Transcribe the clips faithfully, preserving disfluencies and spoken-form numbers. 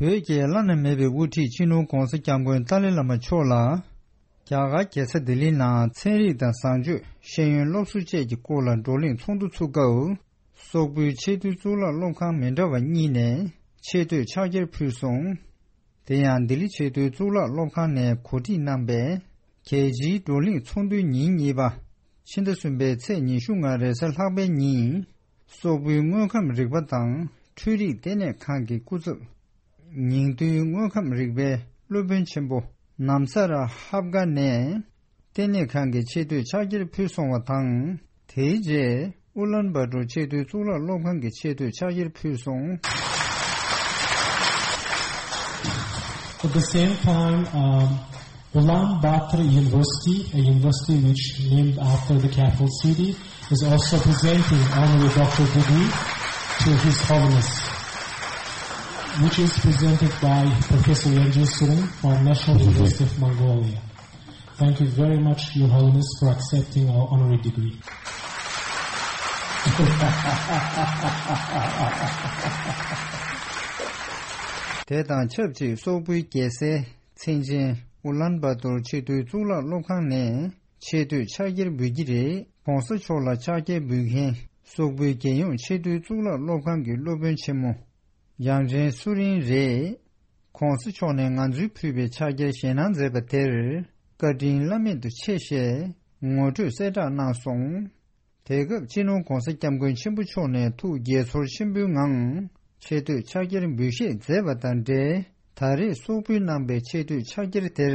བོད་ཀྱི་བླ་ན་མེད་པའི་དབུ་ཁྲིད་སྤྱི་ནོར་༧གོང་ས་༧སྐྱབས་མགོན་ཏཱ་ལའི་བླ་མ་མཆོག་ལ། རྒྱ་གར་རྒྱལ་ས་ལྡི་ལི་ནང་ཚན་རིག་དང་བཟང་སྤྱོད། ཤེས་ཡོན་སློབ་གསོ་བཅས་ཀྱི་སྐོར་ལ་བགྲོ་གླེང་ཚོགས་འདུ་ཚུགས་སྐབས། སོག་པོའི་ཆེས་མཐོའི་གཙུག་ལག་སློབ་ཁང་མི་འདྲ་བ་གཉིས་ནས་ཆེ་བསྟོད་ཕྱག་འཁྱེར་ཕུལ་སོང་། དེ་ཡང་ལྡི་ལི་ཆེས་མཐོའི་གཙུག་ལག་སློབ་ཁང་ནས་གོ་སྒྲིག་གནང་པའི་རྒྱལ་སྤྱིའི་བགྲོ་གླེང་ཚོགས་འདུའི་ཉིན་གཉིས་པ། ཕྱི་ཟླ་གསུམ་པའི་ཚེས་ཉི་ཤུ་ལྔ་རེས་གཟའ་ལྷག་པའི་ཉིན། སོག་པོའི་དངོས་ཁམས་རིག་པ་དང་འཕྲུལ་རིག་ལྟེ་གནས་ཁང་གི་སྐུ་ཚབ། ཉིང་རྡུལ་དངོས་ཁམས་རིག་པའི་སློབ་དཔོན་ཆེན་པོ་ནམ་ས་ར་ཧབ་ག་ནས། ལྟེ་གནས་ཁང་གི་ཆེ་བསྟོད་ཕྱག་འཁྱེར་ཕུལ་སོང་བ་དང་། དེའི་རྗེས་ཨུ་ལན་བྷ་ཏོར་ཆེས་མཐོའི་གཙུག་ལག་སློབ་ཁང་གི་ཆེ་བསྟོད་ཕྱག་འཁྱེར་ཕུལ་སོང་། At the same time, um, Ulaanbaatar University, a university which named after the capital city, is also presenting honorary doctor degree to His Holiness, which is presented by Professor Yanji Tsureng from National University of Mongolia. Thank you very much, Your Holiness, for accepting our honorary degree. དེ་དང་ཆབས་ཅིག་སོག་པོའི་རྒྱལ་སའི་མཚན་ཅན་ཨུ་ལན་བ་ཏོར་ཆེས་མཐོའི་གཙུག་ལག་སློབ་ཁང་ནས་ཆེ་བསྟོད་ཕྱག་འཁྱེར་འབུལ་གྱི་རེད། ༸གོང་ས་མཆོག་ལ་ཕྱག་འཁྱེར་འབུལ་མཁན་སོག་པོའི་རྒྱལ་ཡོངས་ཆེས་མཐོའི་གཙུག་ལག་སློབ་ཁང་གི་སློབ་དཔོན་ཆེན་མོ་ཡང་ཅན་སུ་རིན་རེད། ༸གོང་ས་མཆོག་ནས་ང་ཚོའི་ཕུལ་བའི་ཕྱག་འཁྱེར་བཞེས་གནང་མཛད་པ་དེར་བཀའ་དྲིན་བླ་མེད་དུ་ཆེ་ཞེས་ངོ་སྤྲོད་གསལ་བསྒྲགས་གནང་སོང་། དེ་སྐབས་སྤྱི་ནོར་༸གོང་ས་༸སྐྱབས་མགོན་ཆེན་པོ་མཆོག་ནས་ཐུགས་དགྱེས་ཚོར་ཆེན་པོའི་ངང་ཆེ་བསྟོད་ཕྱག་འཁྱེར་འབུལ་བཞེས་མཛད་པ་དང་འབྲེལ། ད་རེས་སོག་པོས་གནང་པའི་ཆེ་བསྟོད་ཕྱག་འཁྱེར་དེར་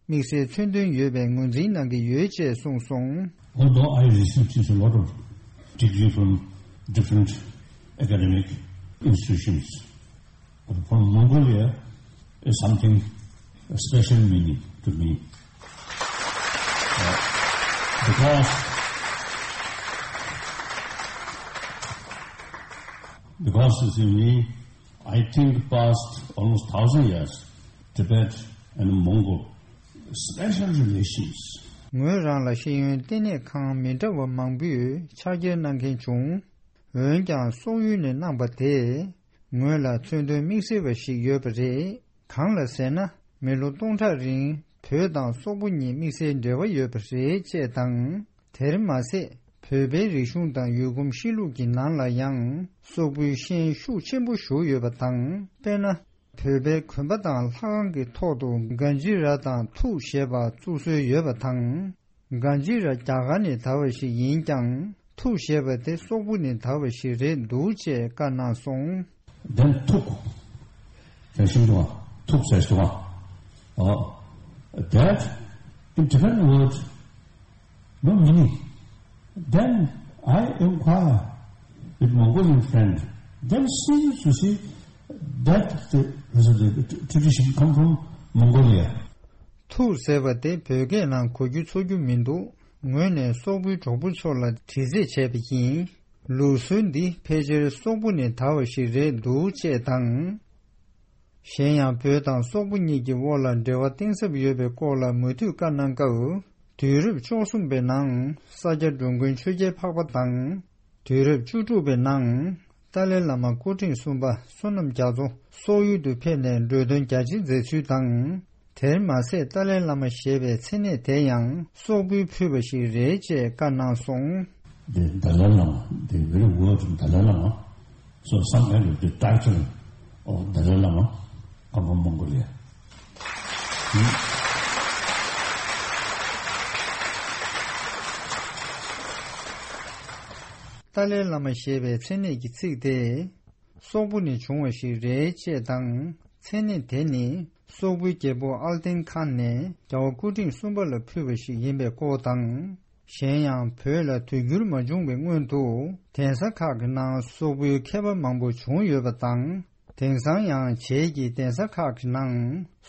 དམིགས་བསལ་མཚོན་དོན་ཡོད་པའི་ངོས་འཛིན་གནང་གི་ཡོད་ཅེས་གསུངས་སོང་། Although I received a lot of degree from different academic institutions, but from Mongolia is something special meaning to me. Uh, because, because you see, me, I think past almost thousand years, Tibet and Mongol special relations. ངོས་རང་ལ་ཤེས་ཡོན་ལྟེ་གནས་ཁང་མི་འདྲ་བ་མང་པོས་ཕྱག་འཁྱེར་གནང་མཁན་བྱུང་། འོན་ཀྱང་སོག་ཡུལ་ནས་གནང་པ་དེས་ངོས་ལ་མཚོན་དོན་དམིགས་བསལ་བ་ཞིག་ཡོད་པ་རེད། གང་ལ་ཟེར་ན། མི་ལོ་སྟོང་ཕྲག་རིང་བོད་དང་སོག་པོ་གཉིས་དམིགས་བསལ་འབྲེལ་བ་ཡོད་པ་རེད་ཅེས་དང་། དེར་མ་ཟད། བོད་པའི་རིག་གཞུང་དང་ཡུལ་གོམས་གཤིས་ལུགས་ཀྱི་ནང་ལ་ཡང་སོག་པོའི་ཤན་ཤུགས་ཆེན་པོ་ཞུགས་ཡོད་པ་དང་། དཔེར་ན། བོད་པའི་གོན་པ་དང་ལྷ་ཁང་གི་ཐོག་ཏུ་གང་ཇི་ར་དང་ཐུགས་ཞེས་པ་བཙུགས་སྲོལ་ཡོད་པ་དང་། གང་ཇི་ར་རྒྱ་གར་ནས་དར་བ་ཞིག་ཡིན་ཀྱང་ཐུགས་ཞེས་པ་དེ་སོག་པོ་ནས་དར་བ་ཞིག་རེད་འདུག་ཅེས་བཀའ་གནང་སོང་། Then ཐུགས། ཟེར་བཞིན་དུ་ཐུགས་ཟེར་བཞིན་དུ། Oh, that in Tibetan word, no meaning. Then I inquire with Mongolian friend. Then she used to say that the, the tradition come from Mongolia. ཐུགས་ཟེར་བ་དེ་བོད་སྐད་ནང་གོ་རྒྱུ་ཚོར་རྒྱུ་མི་འདུག་ངོས་ནས་སོག་པོའི་གྲོགས་པོ་ཚོ་ལ་དྲི་རྩད་བྱས་པ་ཡིན། ལུགས་སྲོལ་འདི་ཕལ་ཆེར་སོག་པོ་ནས་དར་བ་ཞིག་རེད་འདུག་ཅེས་དང་། གཞན་ཡང་བོད་དང་སོག་པོ་གཉིས་ཀྱི་དབར་ལ་འབྲེལ་བ་གཏིང་ཟབ་ཡོད་པའི་སྐོར་ལ་མུ་མཐུད་བཀའ་གནང་སྐབས། དུས་རབས་བཅུ་གསུམ་པའི་ནང་ས་སྐྱ་འགྲོ་མགོན་ཆོས་རྒྱལ་འཕགས་པ་དང་། དུས་རབས་བཅུ་དྲུག་པའི་ནང་ཏཱ་ལའི་བླ་མ་སྐུ་ཕྲེང་གསུམ་པ་བསོད་ནམས་རྒྱ་མཚོ་སོག་ཡུལ་དུ་ཕེབས་ནས་འགྲོ་དོན་རྒྱ་ཆེན་མཛད་ཚུལ་དང་། དེར་མ་ཟད་ཏཱ་ལའི་བླ་མ་ཞེས་པའི་མཚན་གནས་དེ་ཡང་སོག་པོས་ཕུལ་བ་ཞིག་རེད་ཅེས་བཀའ་གནང་སོང་། The Dalai Lama, the very word Dalai Lama, so some kind of the title of Dalai Lama come from Mongolia. ཏཱ་ལའི་བླ་མ་ཞེས་པའི་མཚན་གནས་ཀྱི་ཚིག་དེ། སོག་པོ་ནས་བྱུང་བ་ཞིག་རེད་ཅེས་དང་། མཚན་གནས་དེ་ནི་སོག་པོའི་རྒྱལ་པོ་ཨལ་ཏིན་ཁཱན་ནས་རྒྱལ་བ་སྐུ་ཕྲེང་གསུམ་པ་ལ་ཕུལ་བ་ཞིག་ཡིན་པའི་སྐོར་དང་། གཞན་ཡང་བོད་ལ་དུས་འགྱུར་མ་བྱུང་བའི་སྔོན་དུ་གདན་ས་ཁག་གི་ནང་སོག་པོའི་མཁས་པ་མང་པོ་བྱུང་ཡོད་པ་དང་། དེང་སང་ཡང་བྱེས་ཀྱི་གདན་ས་ཁག་གི་ནང་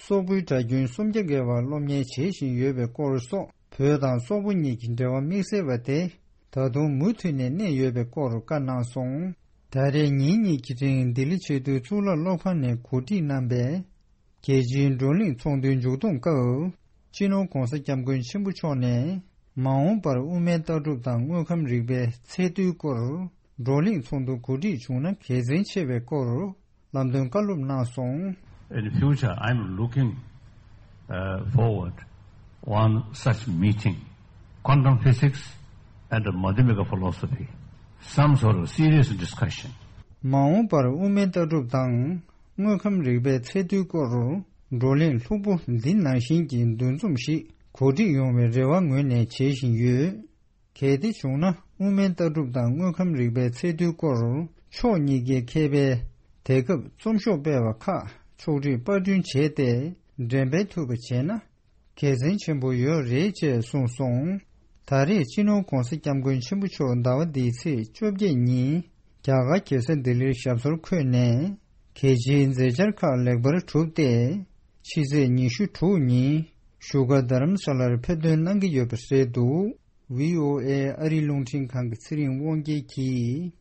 སོག་པོའི་གྲྭ་རྒྱུན་སུམ་བརྒྱ་བརྒལ་བ་སློབ་གཉེར་བྱེད་བཞིན་ཡོད་པའི་སྐོར་སོགས། བོད་དང་སོག་པོ་གཉིས་ཀྱི་འབྲེལ་བ་དམིགས་བསལ་བ་དེ་ད་དུང་མུ་མཐུད་ནས་གནས་ཡོད་པའི་སྐོར་བཀའ་གནང་སོང་། ད་རེས་ཉིན་གཉིས་ཀྱི་རིང་ལྡི་ལི་ཆེས་མཐོའི་གཙུག་ལག་སློབ་ཁང་ནས་གོ་སྒྲིག་གནང་པའི་རྒྱལ་སྤྱིའི་བགྲོ་གླེང་ཚོགས་འདུའི་མཇུག་བསྡོམས་སྐབས། སྤྱི་ནོར་༸གོང་ས་༸སྐྱབས་མགོན་ཆེན་པོ་མཆོག་ནས་མ་འོངས་པར་དབུ་མའི་ལྟ་གྲུབ་དང་དངོས་ཁམས་རིག་པའི་ཚད་མཐོའི་སྐོར་བགྲོ་གླེང་ཚོགས་འདུ་གོ་སྒྲིག་བྱུང་ན་དགེ་མཚན་ཆེ་བའི་སྐོར། ལམ་སྟོན་བཀའ་སློབ་གནང་སོང་ In the future, I'm looking uh, forward one such meeting, quantum physics and Madhyamika philosophy, some sort of serious discussion. མ་འོངས་པར་དབུ་མའི་ལྟ་གྲུབ་དང་དངོས་ཁམས་རིག་པའི་ཚད་རྡུལ་སྐོར་བགྲོ་གླེང་ལྷུག་པོ་འདི་ནང་བཞིན་གྱི་འདུ་འཛོམས་ཤིག་གོ་སྒྲིག་ཡོང་བའི་རེ་བ་ངོས་ནས་བྱེད་བཞིན་ཡོད། གལ་ཏེ་བྱུང་ན། དབུ་མའི་ལྟ་གྲུབ་དང་དངོས་ཁམས་རིག་པའི་ཚད་རྡུལ་སྐོར་ཕྱོགས་གཉིས་ཀའི་མཁས་པའི་དེ་སྐབས་རྩོམ་ཤོག་སྤེལ་བ་ཁག་ཕྱོགས་སྒྲིག་པར་སྐྲུན་བྱས་ཏེ་འགྲེམས་སྤེལ་ཐུབ་པ་བྱས་ན་དགེ་མཚན་ཆེན་པོ་ཡོད་རེད་ཅེས་གསུངས་སོང་། ད་རེས་སྤྱི་ནོར་༧གོང་ས་༧སྐྱབས་མགོན་ཆེན་པོ་མཆོག་ཟླ་བ་འདིའི་ཚེས་བཅོ་བརྒྱད་ཉིན་རྒྱ་གར་རྒྱལ་ས་ལྡི་ལིར་ཞབས་སོར་འཁོད་ནས་གལ་ཆེའི་མཛད་འཆར་ཁག་ལེགས་པར་གྲུབ་སྟེ། ཕྱི་ཚེས་ཉི་ཤུ་དྲུག་ཉིན་བཞུགས་སྒར་རྡ་རམ་ས་ལར་ཕེབས་ཐོན་གནང་གི་ཡོད་པ་རེད་འདུག། བྷི་ཨོ་ཨེ་ཨ་རིའི་རླུང་འཕྲིན་ཁང་གི་ཚེ་རིང་དབང་རྒྱལ་གྱིས།